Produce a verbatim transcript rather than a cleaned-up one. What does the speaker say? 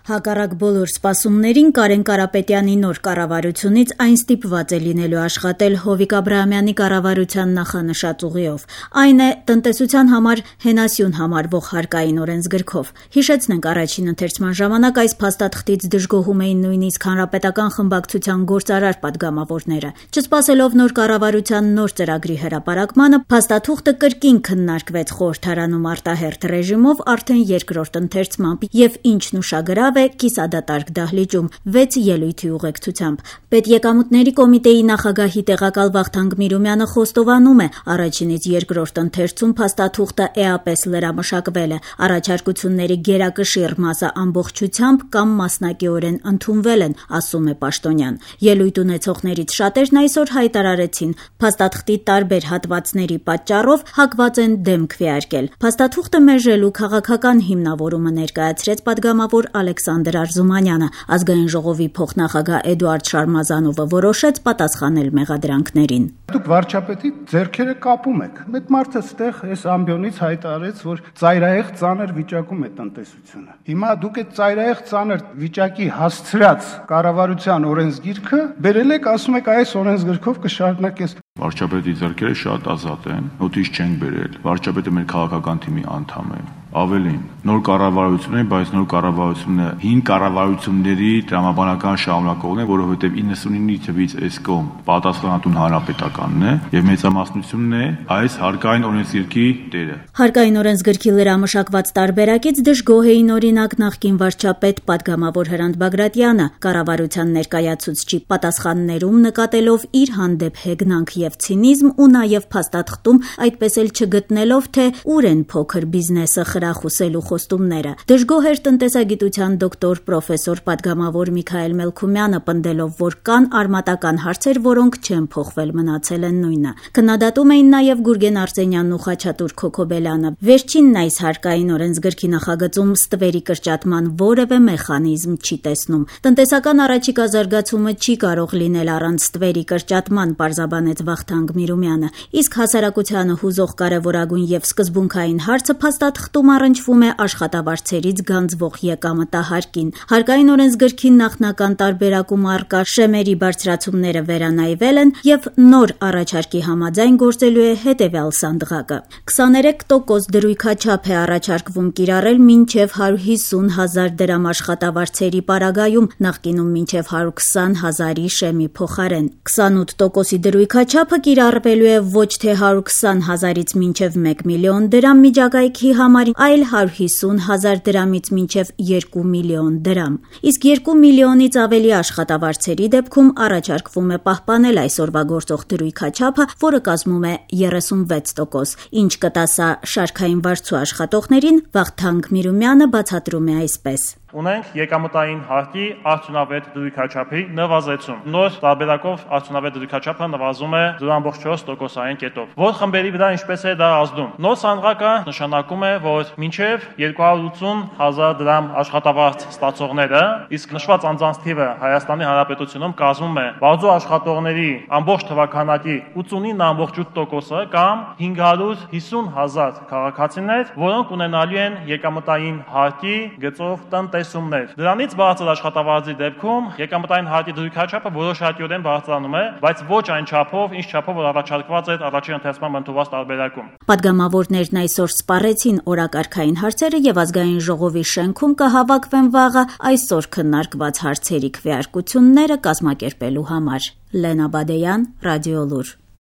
Հակառակ բոլոր սպասումներին Կարեն Կարապետյանի նոր կառավարությունից այն ստիպված է լինելու աշխատել Հովիկ Աբրահամյանի կառավարության նախանշած ուղիով։ Այն է տնտեսության համար հենասյուն համարվող հարկային օրենսգրքով։ Հիշեցնենք, առաջին ընթերցման ժամանակ այս փաստաթղթից դժգոհում էին նույնիսկ հանրապետական խմբակցության գործարար պատգամավորները։ Չսպասելով նոր կառավարության նոր ծրագրի հրապարակմանը, փաստաթուղթը կրկին քննարկվեց խորհրդարանում արտահերթ ռեժիմով արդեն երկրորդ ընթերցմամբ եւ ինչն ուշագրավ է կիսադատարկ դահլիճում վեց ելույթի ուղեկցությամբ։ Պետեկամուտների կոմիտեի նախագահի տեղակալ Վախթանգ Միրումյանը խոստովանում է, առաջինից երկրորդ ընթերցում փաստաթուղթը էապես լրամշակվել է, առաջարկությունների գերակշիռ մասը ամբողջությամբ կամ մասնակիորեն ընդունվել են, ասում է Պաշտոնյան։ Ելույթ ունեցողներից շատերն այսօր հայտարարեցին, փաստաթղթի տարբեր հատվածների պատճառով հակված են դեմ քվեարկել։ Փաստաթուղթը մերժելու քաղաքական հիմնավորումը ներկայացրեց պատգամավոր Ալեքսանդր Արզումանյանը։ Ազգային ժողովի փոխնախագահ Էդուարդ Շարմազանովը որոշեց պատասխանել մեղադրանքներին։ Դուք վարչապետի ձեռքերը կապում եք։ Մեծ մարդը ստեղ այս ամբիոնից հայտարարեց, որ ծայրահեղ ծանր վիճակում է տնտեսությունը։ Հիմա դուք այդ ծայրահեղ ծանր վիճակի հասցրած կառավարության օրենսգիրքը բերել եք, ասում եք այս օրենսգրքով կշարունակես։ Վարչապետի ձեռքերը շատ ազատ են, նոտից չենք բերել։ Վարչապետը մեր քաղաքական թիմի անդամ է։ Ավելին, նոր կառավարություն է, բայց նոր կառավարությունը հին կառավարությունների տրամաբանական շարունակողն է, որովհետև իննսունինի թվից այս կողմ պատասխանատուն հանրապետականն է եւ մեծամասնությունն է այս հարկային օրենսգրքի տերը։ Հարկային օրենսգրքի լրամշակված տարբերակից դժգոհ էին օրինակ նախկին վարչապետ պատգամավոր Հրանտ Բագրատյանը, կառավարության ներկայացուցչի պատասխաններում նկատելով իր հանդեպ հեգնանք եւ ցինիզմ ու նաեւ փաստաթղթում այդպես էլ չգտնելով, թե ուր են փոքր բիզնեսը խրախուսելու խոստումները։ Դժգոհ էր տնտեսագիտության դոկտոր պրոֆեսոր պատգամավոր Միքայել Մելքումյանը, պնդելով, որ կան արմատական հարցեր, որոնք չեն փոխվել, մնացել են նույնը։ Քննադատում էին նաեւ Գուրգեն Արսենյանն ու Խաչատուր Քոքոբելյանը։ Վերջինն այս հարկային օրենսգրքի նախագծում ստվերի կրճատման որևէ մեխանիզմ չի տեսնում։ Տնտեսական առաջիկա զարգացումը չի կարող լինել առանց ստվերի կրճատման, պարզաբանեց Վախթանգ Միրումյանը։ Իսկ հասարակությանը հուզող կարևորագույն եւ սկզբունքային հարցը փաստաթղթում առնչվում է աշխատավարձերից գանձվող եկամտահարկին։ Հարկային օրենսգրքի նախնական տարբերակում առկա շեմերի բարձրացումները վերանայվել են եւ նոր առաջարկի համաձայն գործելու է հետեւյալ սանդղակը։ քսաներեք տոկոս դրույքաչափ է առաջարկվում կիրառել մինչեւ հարյուր հիսուն հազար դրամ աշխատավարձերի պարագայում, նախկինում մինչեւ հարյուր քսան հազարի շեմի փոխարեն։ քսանութ տոկոսի դրույքաչափը կիրառվելու է ոչ թե հարյուր քսան հազարից մինչեւ մեկ միլիոն դրամ միջակայքի համար, այլ հարյուր հիսուն հազար դրամից մինչև երկու միլիոն դրամ։ Իսկ երկու միլիոնից ավելի աշխատավարձերի դեպքում առաջարկվում է պահպանել այսօրվա գործող դրույքաչափը, որը կազմում է երեսունվեց տոկոս, ինչ կտասա շարքային վարձու աշխատողներին, Վախթանգ Միրումյանը բացատրում է այսպես։ Ունենք եկամտային հարկի արդյունավետ դրույքաչափի նվազեցում։ Նոր տարբերակով արդյունավետ դրույքաչափը նվազում է զրո կόμμα չորս տոկոսային կետով։ Որ խմբերի վրա ինչպես է դա ազդում։ Նոր սանդղակը նշանակում է, որ մինչև երկու հարյուր ութսուն հազար դրամ աշխատավարձ ստացողները, իսկ նշված անձանց թիվը Հայաստանի Հանրապետությունում կազմում է բարձր աշխատողների ամբողջ թվաքանակի ութսունինը կόμма ութ տոկոսը կամ հինգ հարյուր հիսուն հազար քաղաքացիներ, որոնք ունենալու են եկամտային հարկի գծով տնտեսումներ։ Դրանից բարձր աշխատավարձի դեպքում եկամտային հարկի դրույքաչափը որոշակիորեն բարձրանում է, բայց ոչ այն չափով, ինչ չափով որ առաջարկված էր առաջին ընթերցման ընդունված տարբերակում։ Պատգամավորներն այսօր սպառեցին օրակարգային հարցերը եւ ազգային ժողովի շենքում կհավաքվեն վաղը այսօր քննարկված հարցերի քվեարկությունները կազմակերպելու համար։ Լենա Բադեյան, Ռադիոլուր։